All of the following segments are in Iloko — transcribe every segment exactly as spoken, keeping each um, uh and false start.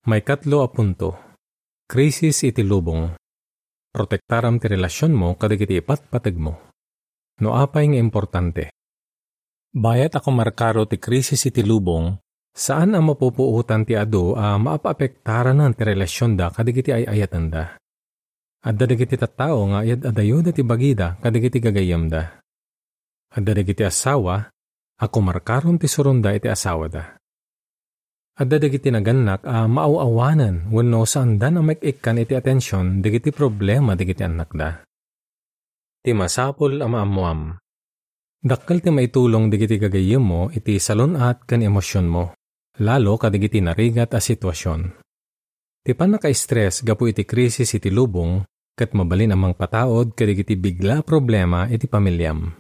Maikatlo a punto, krisis iti lubong. Protektaram ti relasionmo kadagiti ipatpategmo. No apay nga importante? Bayat a kumarkaro ti krisis iti lubong, saan a mapupuotan ti adu a maapapektaranan ti relasionda kadagiti ay-ayatenda. Adda dagiti tattao nga ayad-adayoda ti bagida kadagiti gagayyemda. Adda dagiti asawa a kumarkaron ti suronda iti asawada. Adda dagiti nagannak a maaw-awanen wenno saandan a maik-ikkan iti atension dagiti problema dagiti annakda. Ti masapul a maammoam. Dakkel ti maitulong dagiti gagayyemmo iti salun-at ken emosionmo, lalo kadagiti narigat a situasion. Ti pannakastress gapu iti krisis iti lubong ket mabalin a mangpataud kadagiti bigla a problema iti pamiliam.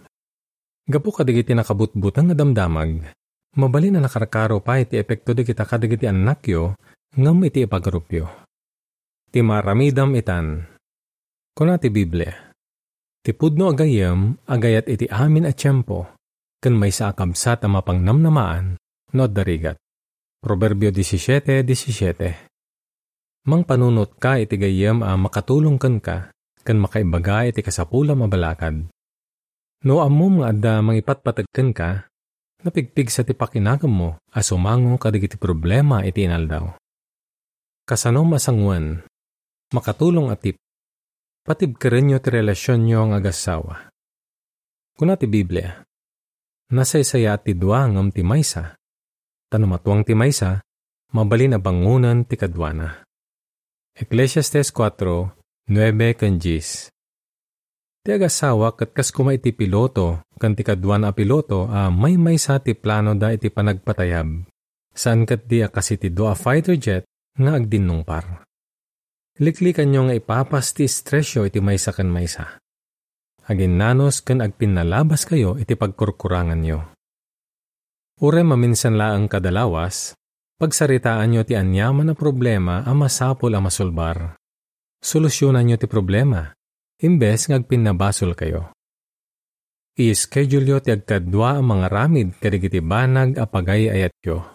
Gapu kadagiti nakabutbuteng a damdamag, mabalin a nakarkaro pay ti epekto dagita kadagiti annakyo ngem iti ipagarupyo. Ti maaramidam itan. Kuna ti Biblia, "Ti pudno a gayyem agayat iti amin a tiempo, ken maysa a kabsat a mapangnamnamaan no adda rigat." Proverbio disisiete disisiete. Mangpanunotka iti gayyem a makatulong kenka ken makaibaga iti kasapulam a balakad. No ammom nga adda mangipatpateg kenka, napigpigsa ti pakinagemmo a sumango kadagiti problema iti inaldaw. Kasano masangoen? Makatulong a tip. Patibkerenyo ti relasionyo nga agassawa. Kuna ti Biblia, "Nasaysayaat ti dua ngem ti maysa, ta no matuang ti maysa, mabalin a bangonen ti kaduana." Eclesiastes kuatro, nuebe ken dies. Ti agassawa ket kas koma iti piloto ken ti kaduana a piloto a maymaysa ti planoda iti panagpatayab. Saan ketdi a kas iti dua a fighter jet nga agdinnungpar. Liklikanyo nga ipapas ti estresyo iti maysa ken maysa. Aginnanos ken agpinnalabaskayo iti pagkurkuranganyo. Uray maminsan laeng kada lawas, pagsaritaanyo ti aniaman a problema a masapul a masolbar. Solusionanyo ti problema, imbes nga agpinnabasolkayo. I-scheduleo ti agkadua a mangaramid kadagiti banag a pagay-ayatyo.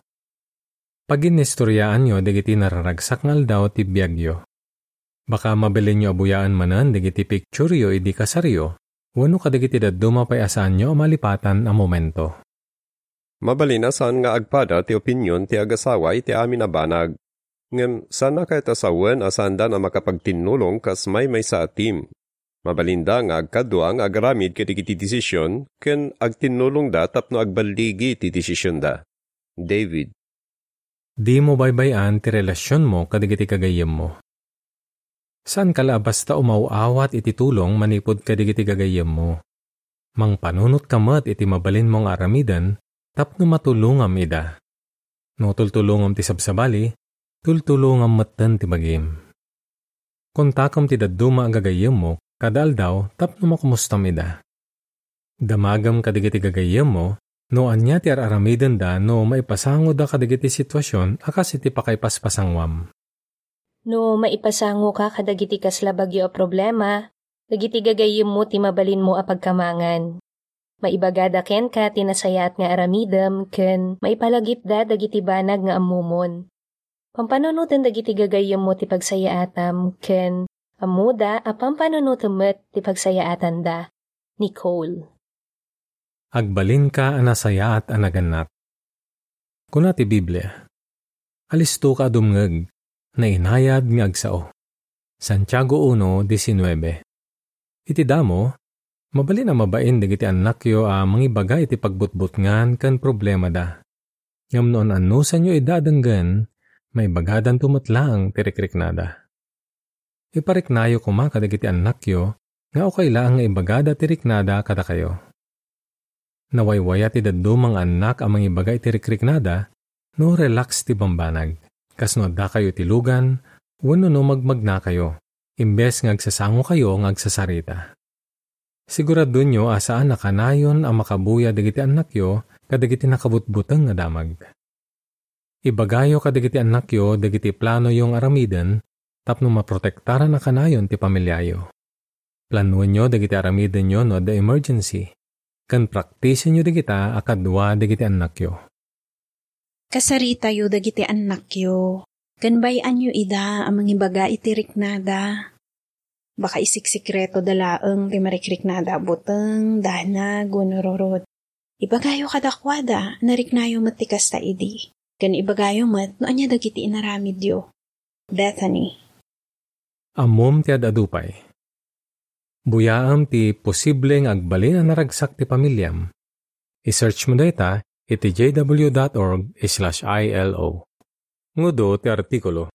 Paginnistoriaanyo dagiti nararagsak nga aldaw ti biagyo. Baka mabalinyo a buyaen manen dagiti pictureyo idi kasaryo wenno kadagiti dadduma pay a saanyo a malipatan a momento. Mabalin a saan nga agpada ti opinion ti agasawa iti amin a banag. Ngem saan a kayat a sawen a saandan a makapagtinnolong kas maymaysa a team. Mabalinda nga agkadua nga agaramid kadagiti desisyon ken agtinnolongda tapno agballigi ti desisionda. David. Dimo baybay-an ti relasionmo kadagiti gagayyemmo. Saanka la a basta umaw-awat iti tulong manipud kadagiti gagayyemmo. Mangpanunotka met iti mabalinmo nga aramiden tapno matulongam ida. No tultulongam ti sabsabali, tultulongam metten ti bagim. Kontakem ti dadduma a gagayyemmo kada aldaw tapno makomustam ida. Damagem kadagiti gagayyemmo no ania ti ar-aramidenda no maipasangoda kadagiti situasion a kas iti pakaipaspasangwam. No maipasangoka kadagiti kasla bagyo a problema, dagiti gagayyemmo ti mabalinmo a pagkamangan. Maibagada kenka ti nasayaat nga aramidem ken maipalagipda dagiti banag nga ammomon. Pampanunoten dagiti gagayyemmo ti pagsayaatam ken ammoda a pampanunotem met ti pagsayaatanda. Nicole. Agbalinka a nasayaat a nagannak. Kuna ti Biblia, "Alistoka a dumngeg, nainayad nga agsao." Santiago uno diecinueve. Iti damo, mabalin a mabain dagiti annakyo a mangibaga iti pagbutbutngan ken problemada. Ngem no an-annusanyo ida a denggen, maibagadanto met laeng ti rikriknada. Ipariknayo koma kadagiti annakyo nga okay laeng nga ibagada ti riknada kadakayo. Nawaywaya ti dadduma nga annak a mangibaga iti rikriknada no relax ti bambanag, kas no addakayo iti lugan wenno no magmagnakayo, imbes nga agsasangokayo nga agsasarita. Siguradonyo a saan a kanayon a makabuya dagiti annakyo kadagiti nakabutbuteng nga damag. Ibagayo kadagiti annakyo dagiti planoyo nga aramiden tapno maprotektaran a kanayon ti pamiliayo. Planoenyo dagiti aramidenyo no adda emergency, ken praktisenyo dagita a kadua dagiti annakyo. Kasaritayo dagiti annakyo. Ken bay-anyo ida a mangibaga iti riknada. Baka isiksikreto da laeng ti marikriknada a buteng, danag, wenno rurot. Ibagayo kadakuada, nariknayo met ti kasta idi. Ken ibagayo met no ania dagiti inaramidyo. Bethany. Ammom ti ad-adu pay. Buyaem ti posible nga agbalin a naragsak ti pamiliam. I-search mo dayta iti j w dot org slash i l o. Ngudo ti artikulo.